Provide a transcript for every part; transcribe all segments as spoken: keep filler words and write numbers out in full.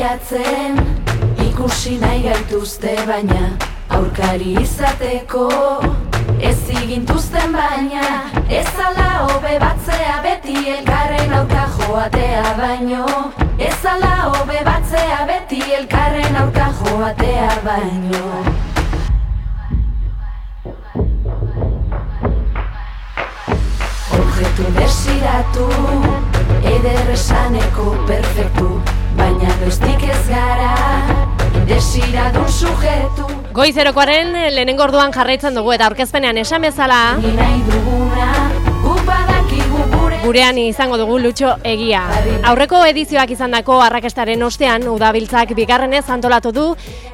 saiatzen, ikusi nahi gaituzte baina, aurkari izateko, ez igintuzten baina, ez ala hobe batzea beti elkarren aurka joatea baino, ez ala hobe batzea beti elkarren aurka joatea baino. Objektu desiratu, eder esaneko perfektu, baina goiztik ez gara, desiradun sujetu. Goizerokoaren lehenengo orduan jarraitzen dugu eta aurkezpenean esan bezala gurean izango dugu Lutxo Egia. Aurreko edizioak izandako arrakastaren ostean Udabiltzak bigarrenez antolatu du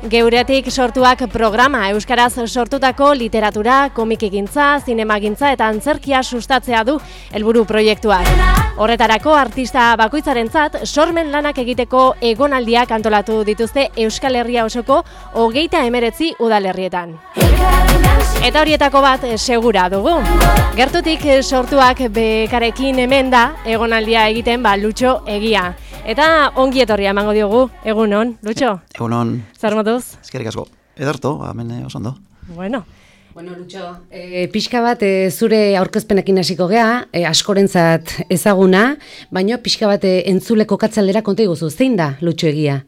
Geuretik sortuak programa, euskaraz sortutako literatura, komikigintza, zinemagintza eta antzerkia sustatzea du helburu proiektuak. Horretarako artista bakoitzarentzat sormen lanak egiteko egonaldiak antolatu dituzte Euskal Herria osoko hogeita hemeretzi udalerrietan. Eta horietako bat segura dugu. Gertutik sortuak bekarekin hemen da egonaldia egiten ba Lutxo Egia. Eta ongi etorria emango diogu. Egunon, Lutxo? Egunon. Zer moduz? Eskerrik asko. Ederto, hemen oso ondo. Bueno. Bueno, Lutxo, e, pixka bat e, zure aurkezpenekin hasiko gea, e, askorentzat ezaguna, baina pixka bat e, entzule kokatzaldera konta iguzu. Zein da Lutxo Egia?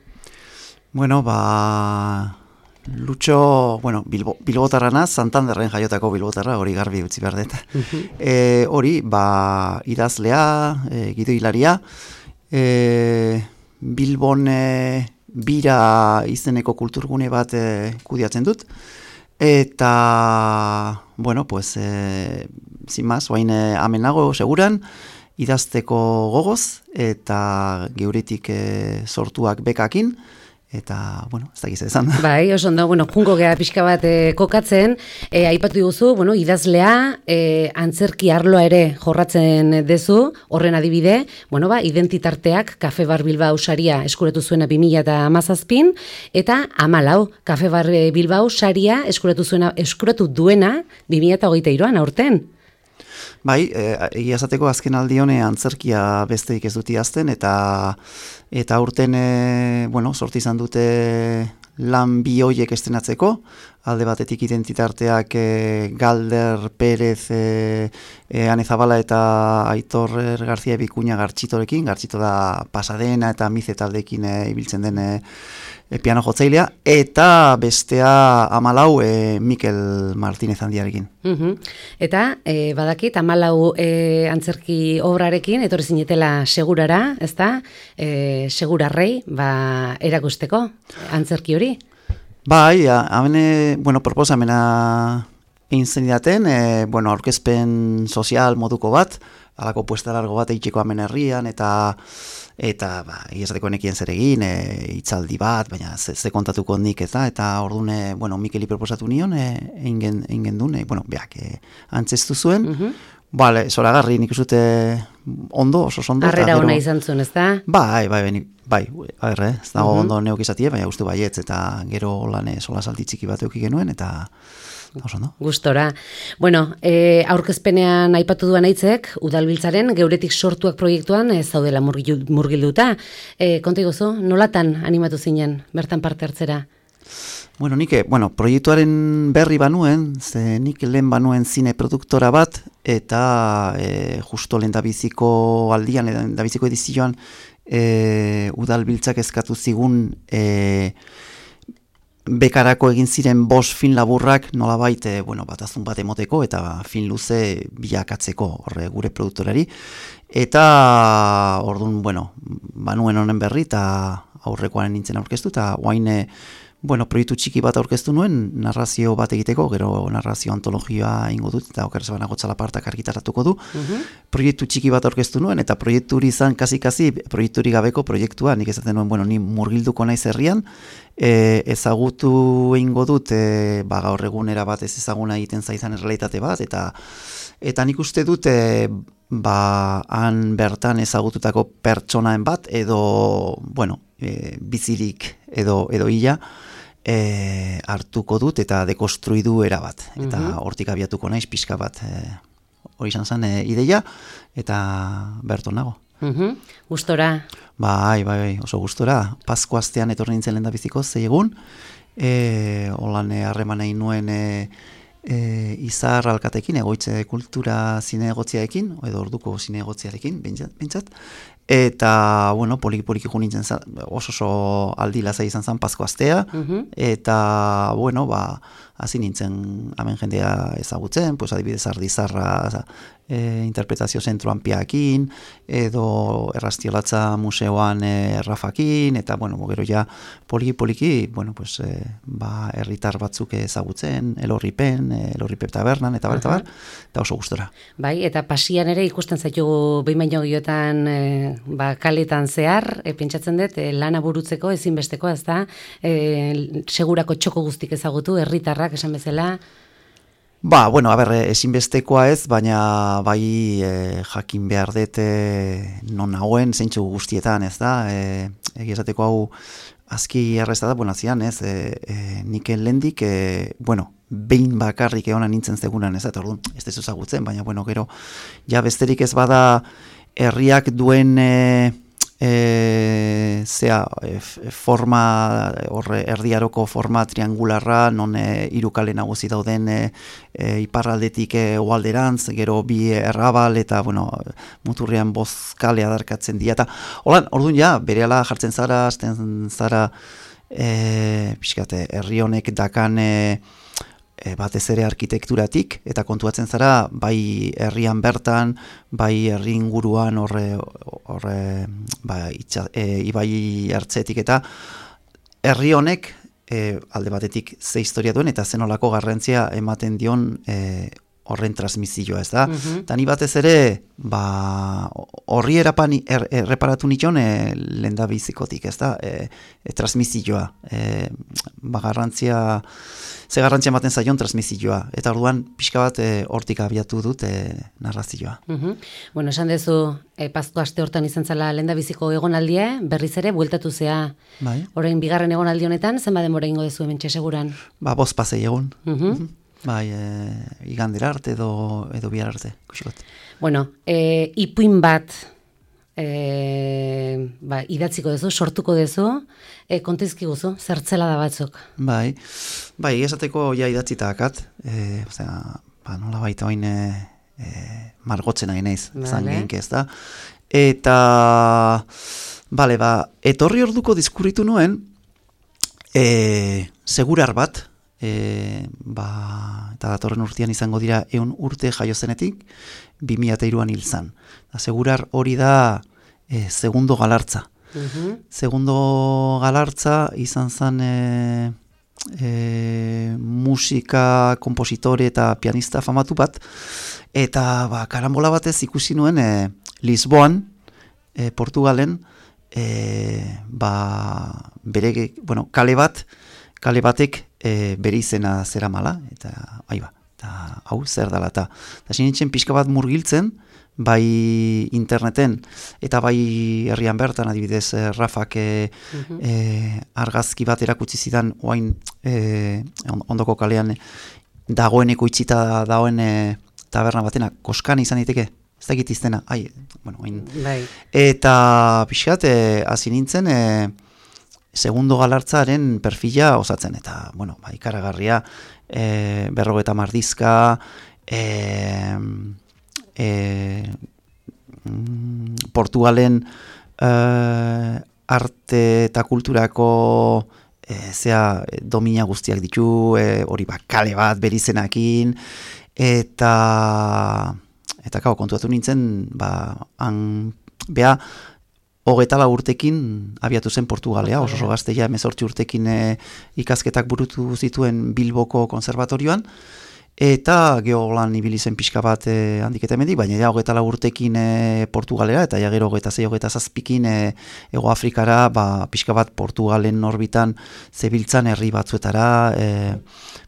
Bueno, ba... Lutxo, bueno, Bilbo, Bilbotarrana, Santanderren jaiotako Bilbotarra, hori garbi utzi behar dut. Uh-huh. E, hori, ba, idazlea, e, gidoilaria, e, Bilbon e, bira izeneko kulturgune bat e, kudiatzen dut, eta, bueno, pues, e, sin más, oain e, amenago seguran, idazteko gogoz, eta Geuretik e, sortuak bekakin, eta, bueno, ez dakiz esan. Bai, oso ondo, bueno, junko gea pixka bat e, kokatzen, e, aipatu diguzu, bueno, idazlea, e, antzerki arloa ere jorratzen dezu, horren adibide, bueno, ba, identitarteak Kafe Bar Bilbao saria eskuratu zuena bi mila hamazazpin, eta hamalau, Kafe Bar Bilbao saria eskuratu zuena, eskuratu duena bi mila hogeita hiruan aurten. Bai, egia esateko azken aldione antzerkia besteik ez dut idazten, eta eta urten e, bueno, sortu izan dute lan bi hoiek estrenatzeko, alde batetik identitarteak e, Galder, Pérez, e, e, Ane Zabala eta Aitor Garzia Bikuña Gartxitorekin, Gartxito da Pasadena eta Mize taldekin e, ibiltzen den e, e, piano jotzailea, eta bestea hamalau e, Mikel Martínez handiarekin. Uh-huh. Eta e, badakit hamalau e, antzerki obrarekin etorri zinetela segurara, ezta? E, segurarrei ba erakusteko antzerki hori. Bai, hemen bueno, proposamena egin zenidaten, e, bueno, aurkezpen sozial moduko bat, halako puesta largo bat egiteko hemen herrian, eta eta ba, iesateko nekien zer egin, e, hitzaldi bat, baina ze, ze kontatuko nik eta, eta ordune, bueno, Mikeli proposatu nion, e, egin gendun, e, bueno, beak, e, antzestu zuen, uh-huh. Bale, zoragarri nik usute ondo, oso ondo. Arrera hona izan zuen, ez da? Bai, bai, bai, bai, agerre, ez dago uh-huh. ondo neok izatie, baina uste baietz, eta gero lan sola salti txiki bat euki genuen, eta oso ondo. Gustora. Bueno, e, aurkezpenean aipatu duan aitzek, Udalbiltzaren Geuretik sortuak proiektuan ez zaudela murgilduta. E, konta iguzu, nolatan animatu zinen bertan parte hartzera? Bueno, nik, bueno, proiektuaren berri banuen, ze nik lehen banuen zine produktora bat, eta e, justo lehen dabiziko aldian, lehen dabiziko edizioan, e, Udalbiltzak eskatu zigun e, bekarako egin ziren bost film laburrak nolabait, e, bueno, batazun bat emoteko, eta film luze bilakatzeko horre gure produktorari. Eta, orduan, bueno, banuen honen berri, eta aurrekoaren nintzen aurkeztu, eta guain, bueno, proiektu txiki bat aurkeztu nuen, narrazio bat egiteko, gero narrazio antologioa ingo dut, eta oker zebana gotzala partak argitaratuko du. Uh-huh. Proiektu txiki bat aurkeztu nuen, eta proiekturi izan kasi-kasi, proiekturi gabeko proiektua, nik esaten nuen, bueno, ni murgilduko naiz herrian, e, ezagutu ingo dut, e, ba, gaur egunera bat ez ezaguna egiten zaizan errealitate bat, eta eta nik uste dut, e, ba, han bertan ezagututako pertsonaen bat, edo, bueno, e, bizirik edo, edo hila, E, hartuko dut eta dekonstruidu erabat. Eta uh-huh. hortik abiatuko naiz pixka bat e, hori izan zen e, ideia, eta berton nago. Mhm. Gustora. Bai, bai, bai, oso gustora. Pasko astean etorri nintzen lehen da biziko, zei egun, e, holan harreman egin nuen e, e, izar alkatekin, egoitze kultura zinegotziarekin, edo orduko zinegotziarekin, bintzat, eta, bueno, poliki-poliki jo nintzen zan, oso oso aldi lasai izan zen Pasko astea, uh-huh. eta, bueno, ba, hasi nintzen hemen jendea ezagutzen, pues adibidez Ardizarra e, interpretazio zentroan piakin, edo Errastiolatza museoan e, Rafakin, eta, bueno, gero ja poliki-poliki, bueno, pues, e, ba, herritar batzuk ezagutzen, Elorripen, Elorripe tabernan, eta bar, eta bar, eta oso gustora. Bai, eta pasian ere ikusten zaitugu behin baino giotan e, ba, kaletan zehar, e, pentsatzen dut, e, lana burutzeko ezinbestekoa, ez da, e, segurako txoko guztik ezagutu, herritarrak esan bezala. Ba, bueno, a ber, ezinbestekoa ez, baina bai e, jakin behar dut e, non nagoen zeintzu guztietan, ez da, e, egiazateko hau azki errezta da, bueno, azian, ez, e, e, nik lendik, e, bueno, behin bakarrik egonan nintzen zegunan, ez da, eta orduan, ez dezu ezagutzen, baina, bueno, gero, ja besterik ez bada herriak duen e, e, zea, e, forma, horre, erdiaroko forma triangularra, non e, irukale nagusi dauden e, e, iparraldetik e, oalderantz, gero bi errabal, eta, bueno, muturrean bozkale adarkatzen dira, eta, holan, orduan, ja, berehala jartzen zara, azten zara, e, pixkate, herri honek dakan, e, E, batez ere arkitekturatik, eta kontuatzen zara, bai herrian bertan, bai herri inguruan horre, horre ba, itxa, e, ibai hartzetik, eta herri honek e, alde batetik ze historia duen, eta zenolako garrantzia ematen dion e, horren transmisioa, ez da? Uh-huh. Eta ni batez ere, ba, horri erapan, er, erreparatu nition e, lenda bizikotik, ez da? E, e, transmisioa, e, ba, garrantzia, ze garrantzia ematen zaion transmisioa, eta orduan pixka bat e, hortik abiatu dut e, narrazioa. Uh-huh. Bueno, esan dezu, e, Pasko aste hortan izan zela lenda biziko egonaldia, berriz ere, bueltatu zea, bai. Orain bigarren egonaldi honetan, zenba denbora ingo dezu hemen txeseguran? Ba, bost pasei egun. Uh-huh. Uh-huh. Bai, e, igandera arte edo, edo bihar arte, kusikot. Bueno, e, ipuin bat e, ba, idatziko dezu, sortuko dezu, e, kontizki guzu, zertzela da batzuk. Bai, bai, esateko ja idatzita akat, e, osea, ba, nola baita oin e, e, margotzen nahi naiz, zan gehinke ez da. Eta, bale, ba, etorri orduko diskurritu nuen, e, segurar bat, E, ba, eta datorren urtean izango dira ehun urte jaio zenetik, bi mila hiruan hil zan. Segurar hori da e, segundo galartza. Uh-huh. Segundo galartza izan zan e, e, musika, kompositore eta pianista famatu bat, eta ba, karambola batez ikusi nuen e, Lisboan, e, Portugalen, e, ba, bere, bueno, kale bat, kale batek e, bere izena zera mala, eta bai ba, eta hau zer dala, eta sinintzen pixka bat murgiltzen, bai interneten, eta bai herrian bertan, adibidez, e, Rafak e, uh-huh. e, argazki bat erakutsi zidan, oain e, ondoko kalean dagoeneko itxita dagoen e, taberna batena, koskan izan diteke, ez da egitiztena, ai, bueno, oain. Bai. Eta pixkat, hasi e, nintzen, e, segundo galartzaren perfila osatzen, eta, bueno, ba, ikaragarria, e, berrogeta mardizka, e, e, mm, Portugalen e, arte eta kulturako e, zea domina guztiak ditu, e, hori ba, kale bat berizenakin, eta, eta kao, kontuatu nintzen, ba, han, beha, hogetala urtekin abiatu zen Portugalea, oso oso gazteia hemezortzi urtekin e, ikasketak burutu zituen Bilboko konservatorioan, eta geolan ibili zen pixka bat e, handik eta emendik, baina ja hogetala urtekin e, Portugalera, eta ja gero hogeta zei hogeta zazpikin e, Ego Afrikara, ba, pixka bat Portugalen orbitan zebiltzan herri batzuetara, e,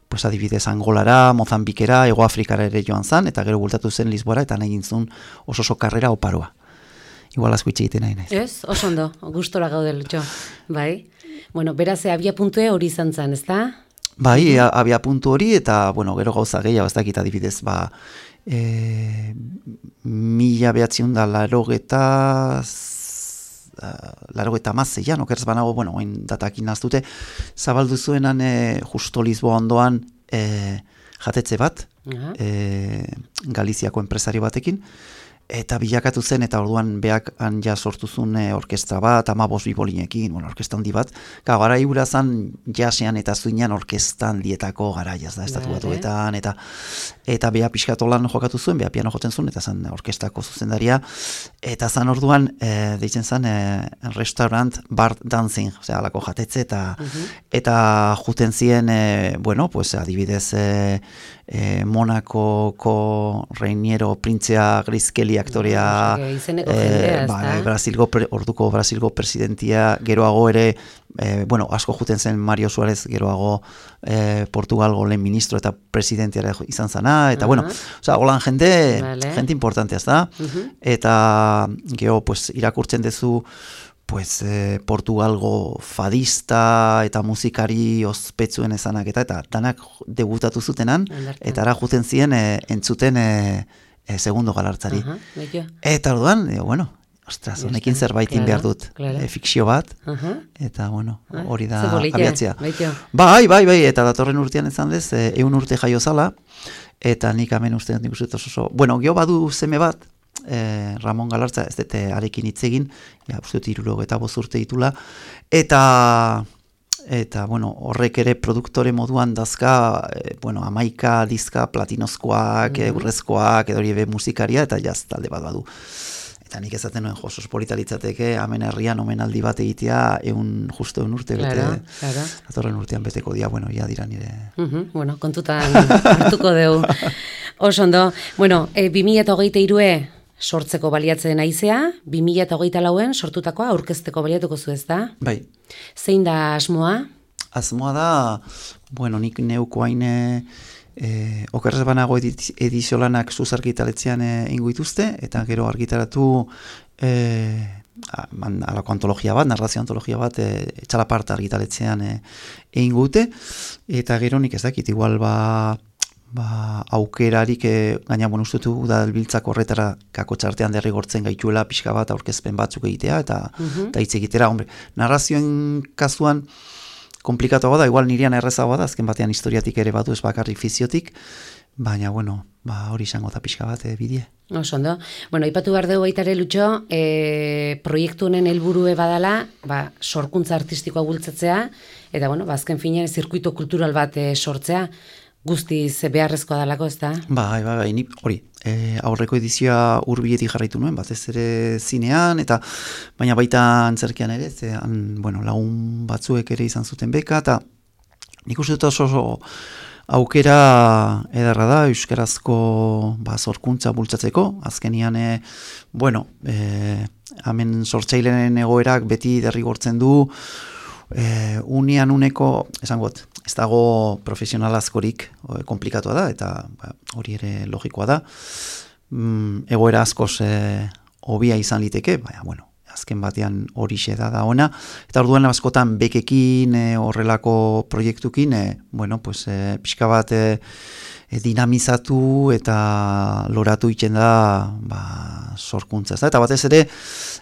pues adibidez Angolara, Mozambikera, Ego Afrikara ere joan zan, eta gero bultatu zen Lisboara, eta nahi gintzun oso oso karrera oparoa. Igual asko itxegiten nahi naiz. Ez, oso ondo, gustora gaude Lutxo. Bai. Bueno, beraz, abia puntue hori izan zen, ez da? Bai, abia puntu hori, eta, bueno, gero gauza gehiago, ez dakit adibidez, ba, e, mila behatziun da larogeta larogeta mazeian, okerz banago, bueno, oin datakin naztute, zabaldu zuenan e, justo Lisboa ondoan e, jatetze bat, uh-huh. e, Galiziako enpresario batekin, eta bilakatu zen, eta orduan beak han ja sortu zuen orkestra bat, amabos bibolinekin, bueno, orkestra handi bat. Ka, gara igura zan jasean eta zuinan orkestra handietako garaiaz da, estatu batuetan, eta eta bea pixkatolan jokatu zuen, bea piano joten zuen, eta zan orkestrako zuzendaria, eta zan orduan, e, deitzen zan, e, restaurant bar dancing, osea, alako jatetze, eta uh-huh. eta juten zien, e, bueno, pues, adibidez, e, e, Monakoko Reiniero printzea Grizkeli aktorea, no, izeneko jendea, e, ba, Brasilgo, orduko Brasilgo presidentia, geroago ere, E, bueno, asko juten zen Mario Suarez geroago e, Portugalgo lehen ministro eta presidentia izan zana, eta uh-huh. bueno, oza, holan jende, vale. jende importantea, ez da? Uh-huh. Eta geho, pues, irakurtzen dezu, pues, eh, Portugalgo fadista eta musikari ospetsuen ezanak, eta eta danak debutatu zutenan, eta ara juten ziren e, entzuten e, e, segundo galartzari. Uh-huh. Eta orduan, e, bueno, ostras, honekin zerbaitin claro, behar dut, claro. e, fikzio bat, uh-huh. eta bueno, hori da abiatzea. Bai, bai, bai, eta datorren urtean ezan dez, e, eun urte jaio zala, eta nik hemen uste nik uste oso, bueno, geho badu seme bat, e, Ramon Galartza, ez dute arekin hitz egin, ja, uste dut iruro eta boz urte ditula, eta... Eta, bueno, horrek ere produktore moduan dazka, e, bueno, amaika dizka platinozkoak, mm-hmm. urrezkoak, edo hori ebe musikaria, eta jaz talde bat badu. Eta nik ezaten nuen josos politalitzateke, hemen herrian omenaldi bat egitea, egun, justo egun urte claro, bete, claro. atorren urtean beteko dia, bueno, ja dira nire. Uh-huh, bueno, kontutan hartuko deu. Oso ondo, bueno, e, bi mila hogeita hirue sortzeko baliatzen aizea, bi mila hogeita lauen sortutakoa aurkezteko baliatuko zu, ez da? Bai. Zein da asmoa? Asmoa da, bueno, nik neuko haine... E, okerrez banago ediziolanak zuz argitaletzean ingo dituzte, eta gero argitaratu e, alako antologia bat, narrazio antologia bat, e, etxalapart argitaletzean e, ingo dute, eta gero nik ez dakit, igual ba, ba aukerarik, e, gaina bon ustetu udalbiltzak horretara kako txartean derrigortzen gaituela pixka bat aurkezpen batzuk egitea, eta uh-huh. hitz egitera, hombre, narrazioen kasuan, komplikatuago da, igual nirian errezagoa da, azken batean historiatik ere batu ez bakarrik fiziotik, baina, bueno, ba, hori izango da pixka bat e, bidie. Oso ondo. Bueno, ipatu behar dugu baitare Lutxo, e, proiektu honen helburue badala, ba, sorkuntza artistikoa bultzatzea, eta, bueno, ba, azken finean zirkuito kultural bat e, sortzea, guztiz beharrezkoa dalako, ez da? Bai, bai, bai, ni hori, e, aurreko edizioa hurbiletik jarraitu nuen, batez ere zinean, eta baina baita antzerkian ere, ze, an, bueno, lagun batzuek ere izan zuten beka, eta nik uste dut oso, oso aukera edarra da, euskarazko ba, sorkuntza bultzatzeko, azkenian, e, bueno, e, hemen sortzaileen egoerak beti derrigortzen du, e, unian uneko, esan got, ez dago profesional askorik e, komplikatua da, eta ba, hori ere logikoa da. Mm, egoera askoz e, hobia izan liteke, baina, bueno, azken batean horixe da da ona. Eta orduan askotan bekekin, e, horrelako proiektukin, e, bueno, pues, e, pixka bat e, e, dinamizatu eta loratu iten da ba, sorkuntza. Eta batez ere,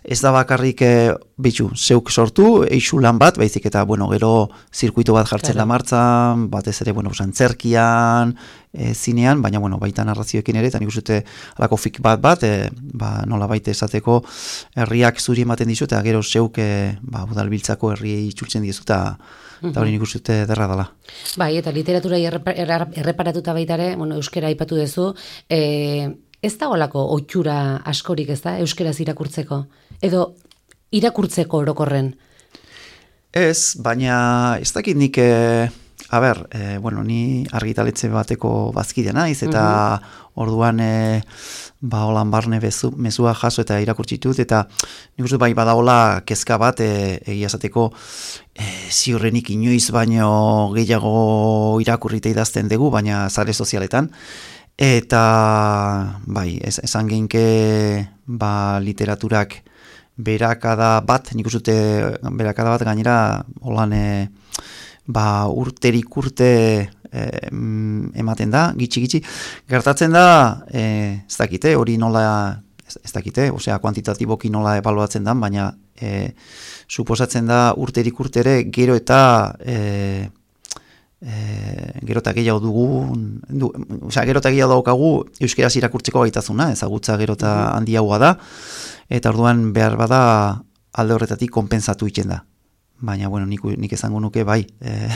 ez da bakarrik e, bitxu, zeuk sortu, eixu lan bat, baizik eta, bueno, gero zirkuito bat jartzen da martzan, batez ere, bueno, antzerkian, e, zinean, baina, bueno, baita narrazioekin ere, eta nik uste alako fik bat bat, e, ba, nola baita esateko herriak zuri ematen dizu, eta gero zeuk, e, ba, udalbiltzako herriei itzultzen dizu, eta eta hori nik uste derra dela. Bai, eta literatura erreparatuta baitare, bueno, euskera aipatu duzu, e, ez da olako ohitura askorik, ez da, euskeraz irakurtzeko? Edo irakurtzeko orokorren? Ez, baina ez dakit nik, e, a ber, e, bueno, ni argitaletxe bateko bazkidea naiz, eta uh-huh. orduan, e, ba, holan barne bezu, mezua jaso eta irakurtzitut, eta nik uste bai badaola kezka bat, e, egia esateko, e, ziurrenik inoiz baino gehiago irakurrita idazten dugu, baina sare sozialetan, eta bai, ez, esan genke ba, literaturak berakada bat, nik uste berakada bat gainera holan e, ba, urterik urte e, ematen da, gitxi-gitxi. Gertatzen da, e, ez dakite, hori nola, ez, ez dakite, osea, kuantitatiboki nola ebaluatzen da, baina e, suposatzen da urterik urtere gero eta e, e, gero eta gehiago dugu, du, osea, gero eta gehiago daukagu euskeraz irakurtzeko gaitazuna, ezagutza gero eta handiagoa da, eta orduan behar bada alde horretatik konpentsatu egiten da. Baina, bueno, nik, nik esango nuke, bai, e,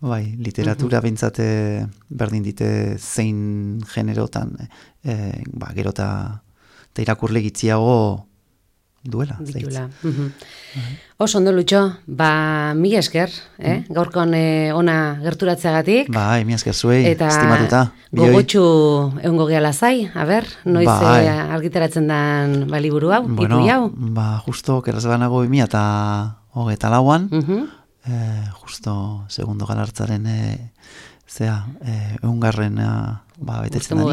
bai, literatura uh-huh. bintzate berdin dite zein generotan, e, ba, gero eta irakurle gitziago duela. Ditula. Uh-huh. Uh-huh. Oso ondo, Lutxo, ba, mila esker, eh? Uh-huh. Gaurkon eh, ona gerturatzeagatik. Bai, mila esker zuei, eta estimatuta. Eta gogotxu egongo gehala zai, a ber, noiz bai. eh, argitaratzen den ba, liburu hau, bueno, ipu hau? Ba, justo, kerraz banago emia eta hogeita lauan, uh-huh. eh, justo segundo galartzaren eh, zea, eh, eungarren ba, betetzen da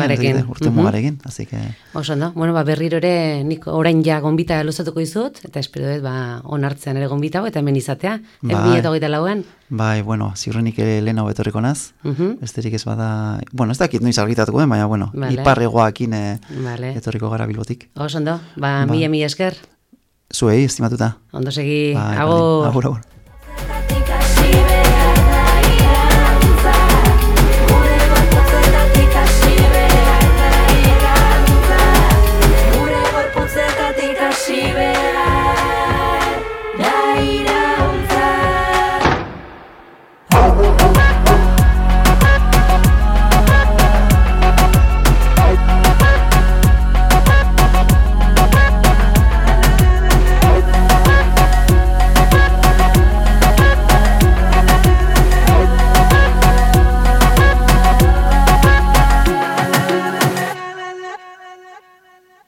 urte mugarekin, así que... Oso, no? Bueno, ba, berriro ere nik orain ja gonbita luzatuko izut, eta espero dut, ba, onartzean ere gonbita hau, eta hemen izatea, bai. Ebi eta hogeita lauan. Bai, bueno, ziurrenik lehen hau betorriko naz, uh-huh. besterik ez bada... Bueno, ez dakit noiz argitatuko den, baina, bueno, vale. Iparregoakin eh, vale. Etorriko gara Bilbotik. Oso, ondo, ba, ba. mila, mila esker. Zuei, estimatuta. Ondo segi, bai, agur. Agur, agur. She